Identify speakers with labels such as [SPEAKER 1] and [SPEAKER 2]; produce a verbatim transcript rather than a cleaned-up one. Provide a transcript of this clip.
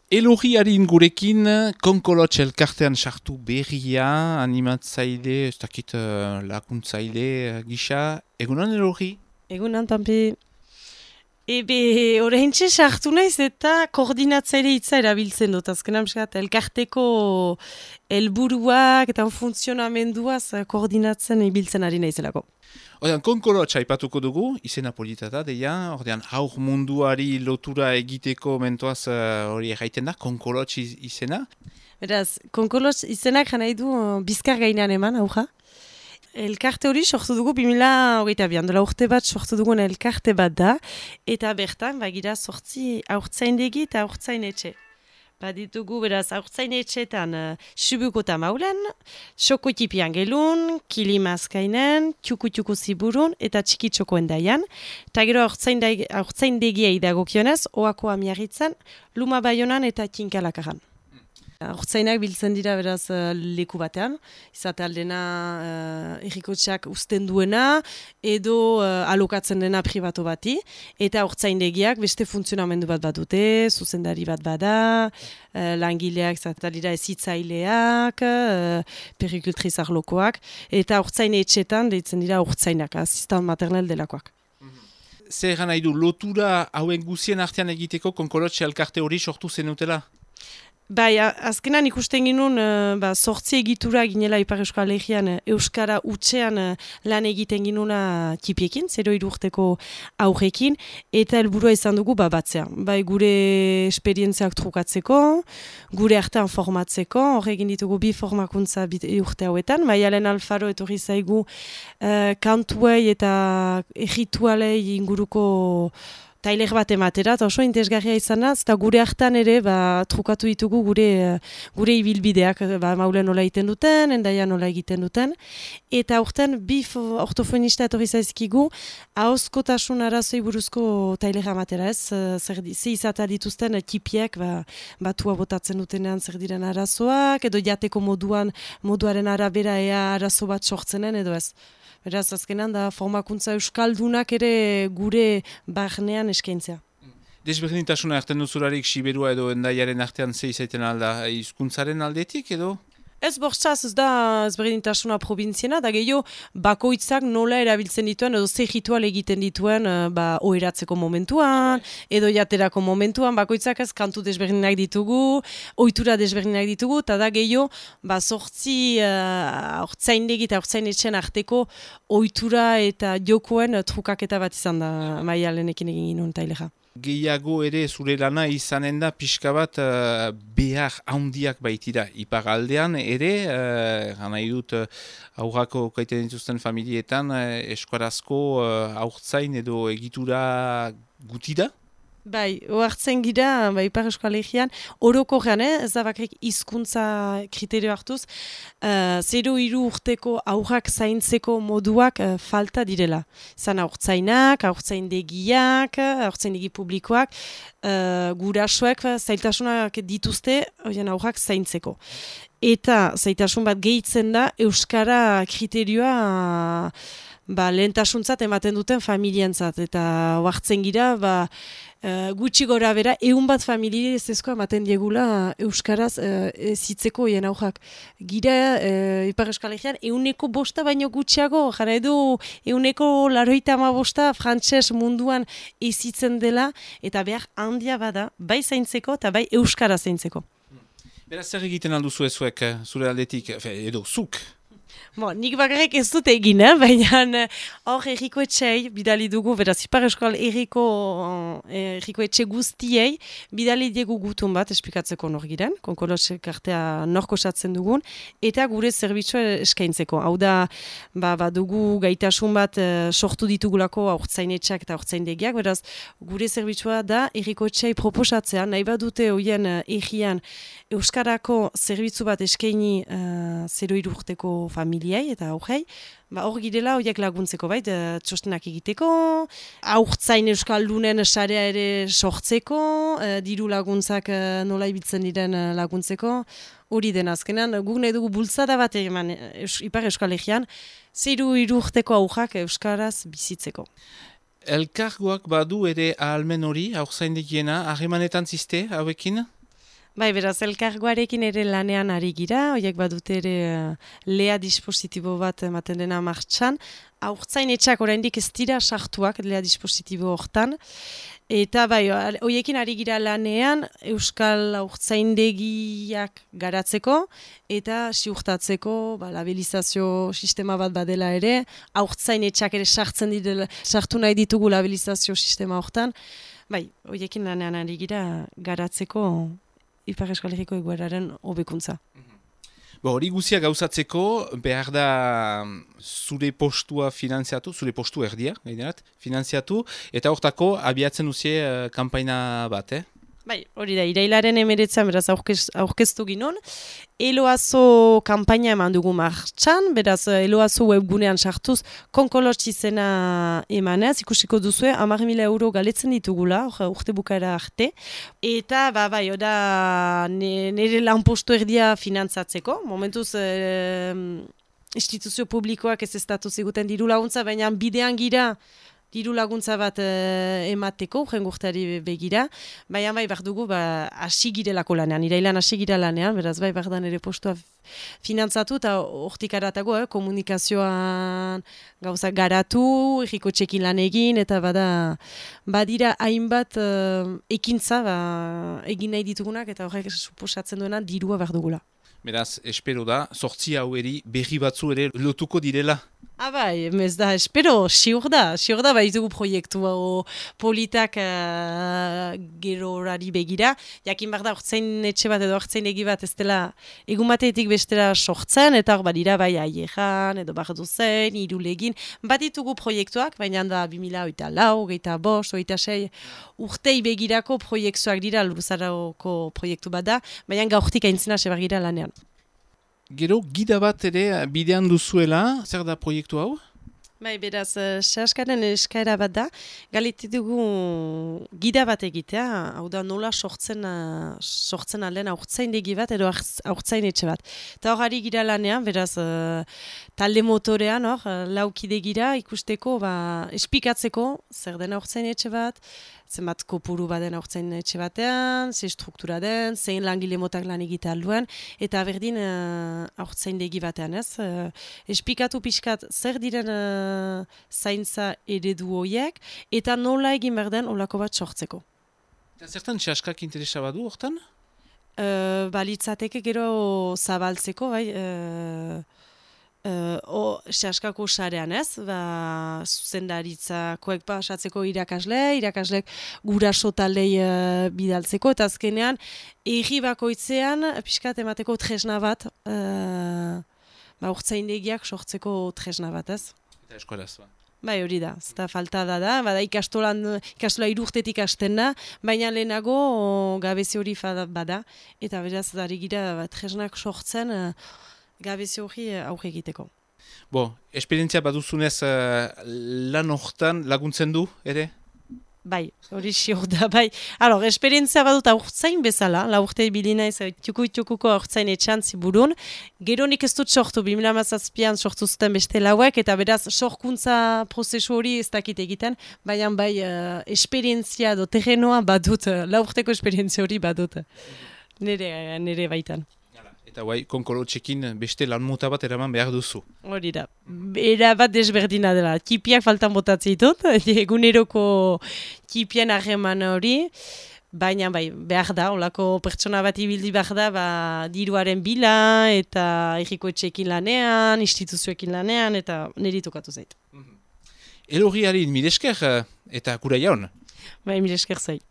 [SPEAKER 1] Elogi harin gurekin, Konkolotx elkartean sartu berria, animatzaile, ez dakit uh, lakuntzaile uh, gisa. Egunon Elogi?
[SPEAKER 2] Egunan, Pampi. Ebe, horreintxe sartu naiz eta koordinatzaile hitza erabiltzen dut. Azken amskat, elkarteko helburuak eta funtzionamenduaz koordinatzen ibiltzen ari naizelako.
[SPEAKER 1] Ordean, Konkolotx aipatuko dugu, izena polita da, deia, ordean, haur munduari lotura egiteko mentoaz hori uh, erraiten da, Konkolotx iz, izena.
[SPEAKER 2] Beraz, Konkolotx izenak jana du uh, bizkar gainean eman, auja. Elkarte hori sortu dugu, bimila hogeita bian, dola urte bat sortu dugun elkarte bat da, eta bertan, bagira sortzi aurtzaindegi eta aurtzainetxe. Baditugu, beraz, aurtzain etxetan uh, subuko eta maulen, xoko tipian gelun, kilimazkainen, txuku-txuku ziburun eta txiki-txokoen daian. Eta gero aurtzain degiei dagokionez, oako amiarritzen, luma baionan eta kinkalakaran. Aurtzainak biltzen dira beraz uh, leku batean, izate aldena uh, errikotxeak uzten duena edo uh, alokatzen dena pribatu bati, eta aurtzaindegiak beste funtzionamendu bat bat dute, zuzendari bat bada, uh, langileak zatalira ezitzaileak, uh, perikultriz arlokoak, eta aurtzain etxetan deitzen dira aurtzainak, asistan maternel delakoak.
[SPEAKER 1] Zer egan nahi du, lotura hauen guzien artean egiteko Konkolotx elkarte hori sortu zenutela?
[SPEAKER 2] Bai, azkenan ikusten ginun, uh, ba, sortzi egitura ginela Ipar Euskal Herrian Euskara utxean uh, lan egiten ginuna tipiekin, zero irurteko aurrekin, eta helburua izan dugu ba, batzea. Bai, gure esperientziak trukatzeko, gure artean formatzeko, horregin ditugu bi formakuntza bit, urte hauetan, Maialen Alfaro etorri zaigu uh, kantuei eta erritualei inguruko tailer bat ematera, eta oso interesgarria izan da, eta gure hartan ere ba, trukatu ditugu gure gure ibilbideak, ba, maulen nola egiten duten, endaia nola egiten duten, eta aurten bi ortofonista etorri zaizkigu, ahozkotasun arazoi buruzko tailera ematera, ez, zer ze izata dituzten tipiek, ba, batua botatzen dutenean zer diren arazoak, edo jateko moduan, moduaren arabera ea arazo bat sortzenen, edo ez. Beraz, azkenan da formakuntza euskaldunak ere gure barnean eskaintzea.
[SPEAKER 1] Desberdintasuna erten duzularik Siberua edo Hendaiaren artean ze izaiten alda, hizkuntzaren aldetik edo?
[SPEAKER 2] Ez bortzaz, ez da ezberdintasuna probintziena, da gehiago bakoitzak nola erabiltzen dituen, edo ze ritual egiten dituen ba, oheratzeko momentuan, edo jaterako momentuan, bakoitzak ez kantu desberdinak ditugu, ohitura desberdinak ditugu, eta da gehiago ba, sortzi uh, aurtzaindegi eta aurtzainetxen arteko ohitura eta jokoen trukaketa bat izan da Maialenekin egin ginen tailera.
[SPEAKER 1] Gehiago ere zure lana izanen da pixka bat uh, behar handiak baitira. Ipar aldean ere, uh, gana idut uh, aurrako kaiten dituzten familietan, uh, eskuarazko uh, aurtzain edo egitura gutida?
[SPEAKER 2] Bai, oartzen gira, bai, Ipar Euskal Herrian, orokorrean, eh, ez da bakrik hizkuntza kriterio hartuz, uh, zero hiru urteko aurrak zaintzeko moduak uh, falta direla. Zan aurtzainak, aurtzaindegiak, aurtzaindegi publikoak, uh, gurasoek zailtasunak dituzte oien aurrak zaintzeko. Eta zailtasun bat gehitzen da, Euskara kriterioa uh, ba, lehentasuntzat ematen duten familientzat. Eta oartzen gira, ba, Uh, gutxi gora bera, egun bat familie ez ezkoa ematen diegula Euskaraz uh, zitzeko hien aurrak. Gira, uh, Ipar Euskal Herrian, euneko bosta baino gutxiago, jara edo euneko laroita ama bosta frantses munduan ezitzen dela, eta behar handia bada, bai zaintzeko eta bai Euskara zaintzeko.
[SPEAKER 1] Beraz zer egiten alduzu ezuek, zure aldetik, edo zuk?
[SPEAKER 2] Bo, nik bakarrik ez dut egin, eh? Baina hor erriko etxei bidali dugu, beraz Ipar Euskal Herriko erriko etxe guztiei bidali diegu gutun bat esplikatzeko nor giren, Konkolotx elkartea nork osatzen dugun, eta gure zerbitzua eskaintzeko. Hau da, ba, ba, dugu gaitasun bat uh, sortu ditugulako aurtzainetxeak eta aurtzaindegiak, beraz gure zerbitzua da erriko etxei proposatzea, nahi bat dute hoien uh, errian Euskarako zerbitzu bat eskaini uh, zero hiru urteko familiai eta aurrei, ba, hor girela horiek laguntzeko bait, txostenak egiteko, aurtzain euskaldunen sarea ere sortzeko, uh, diru laguntzak uh, nola ibiltzen diren uh, laguntzeko, hori den azkenan, guk nahi dugu bultzada bat eman eus, Ipar Euskal Herrian, zero hiru urteko aurrak euskaraz bizitzeko.
[SPEAKER 1] Elkargoak badu ere ahalmen hori, aurzaindegiena, harremanetan ziste hauekin?
[SPEAKER 2] Bai, beraz, elkargoarekin ere lanean ari gira, horiek badute ere uh, lea dispositibo bat ematen dena martxan. Haurtzain etxak oraindik ez dira sartuak lea dispositibo hortan. Eta bai, horiekin ari gira lanean Euskal haurtzaindegiak garatzeko eta ziurtatzeko ba, labelizazio sistema bat badela ere, haurtzain etxak ere sartzen direla, sartu nahi ditugu labelizazio sistema hortan. Bai, horiekin lanean ari gira garatzeko Ipar Euskal Herriko egoeraren hobekuntza.
[SPEAKER 1] Bo, hori guzia gauzatzeko behar da zure postua finanziatu, zure postu erdia, gainerat, finanziatu, eta hortako abiatzen duzie uh, kampaina bat, eh?
[SPEAKER 2] Bai, hori da, irailaren emeretzan, beraz, aurkez, aurkeztu ginon. Eloazo kampaina eman dugu martxan, beraz, Eloazo webgunean sartuz, konkolotx izena emanez, ikusiko duzue, hamar mila euro galetzen ditugula, urte bukaera arte. Eta, ba, bai, oda, nire lanpostu erdia finantzatzeko, momentuz, e, instituzio publikoak ez estatu ziguten diru laguntza, baina bidean gira, diru laguntza bat e, emateko, jengurtari begira, baina bai behar dugu ba, hasi girelako lanean, irailan hasi gira lanean, beraz bai behar da nire postua finantzatu eta hortik aratago, eh, komunikazioan gauza garatu, erriko txekin lan egin, eta bada badira hainbat uh, ekintza ba, egin nahi ditugunak, eta horrek suposatzen duena dirua behar dugula.
[SPEAKER 1] Beraz, espero da, sortzi haueri berri batzu ere lotuko direla.
[SPEAKER 2] Ah bai, ez da, espero, siur da, siur da, baitugu proiektu hau politak uh, gero horari begira. Jakin behar da, hortzain etxe bat edo hortzain egi bat ez dela egun batetik bestera sortzen, eta hor badira bai aieran, edo behar duzen, irulegin. Bat ditugu proiektuak, baina da bi mila hogeita lau, hogeita bost, hogeita sei, urtei begirako proiektuak dira, Luruzaroko proiektu bat da, baina gaurtik aintzina sebar gira lanean.
[SPEAKER 1] Gero, gida bat ere bidean duzuela, zer da proiektu hau?
[SPEAKER 2] Bai, beraz, sehaskaren eskaera bat da, galite dugu gida bat egitea, hau da nola sortzen, sortzen alden haurtzaindegi bat edo haurtzain etxe bat. Eta hor ari gira lanean, beraz, talde motorean, hor, laukide gira ikusteko, ba, espikatzeko, zer den haurtzain etxe bat, zenbat kopuru baden haurtzain etxe batean, ze struktura den, zein langile motak lan egitea alduen, eta berdin haurtzaindegi batean, ez? Espikatu pixkat zer diren zaintza eredu horiek, eta nola egin behar den olako bat sortzeko.
[SPEAKER 1] Eta zertan sehaskak interesa badu hortan?
[SPEAKER 2] Uh, balitzateke gero zabaltzeko, bai, uh, uh, o, sehaskako sarean ez, ba, zuzendaritzakoek pasatzeko irakasle, irakaslek guraso taldei uh, bidaltzeko, eta azkenean, erri bakoitzean, pixkat emateko tresna bat, uh, ba, urtzaindegiak sortzeko tresna bat, ez?
[SPEAKER 1] Eta eskolaz, ba.
[SPEAKER 2] Bai, hori da, ez da falta da da, bada ikastolan, ikastola irurtetik hasten da, baina lehenago gabezi hori bada, eta beraz, dari gira, ba, tresnak sortzen gabezi hori aurre egiteko.
[SPEAKER 1] Bo, esperientzia baduzunez lan hortan laguntzen du, ere?
[SPEAKER 2] Bai, hori siur da, bai. Alor, esperientzia badut aurtzain bezala, la urte bilina ez txuku-txukuko aurtzain etxan ziburun. Gero nik ez dut sortu, bi mila hamazazpian sortu zuten beste lauek, eta beraz, sorkuntza prozesu hori ez dakit egiten, baina bai, uh, esperientzia do terrenoa badut, uh, la urteko esperientzia hori badut, nire, nire baitan.
[SPEAKER 1] Eta guai, konkolotxekin beste lan mota bat eraman behar duzu.
[SPEAKER 2] Hori da. Era bat desberdina dela. Tipiak faltan botatzen ditut, eguneroko tipien harreman hori, baina bai, behar da, olako pertsona bat ibildi behar da, ba, diruaren bila, eta erriko etxekin lanean, instituzioekin lanean, eta niri tokatu zait.
[SPEAKER 1] Elorriari milesker eta kura jaun?
[SPEAKER 2] Bai, milesker zait.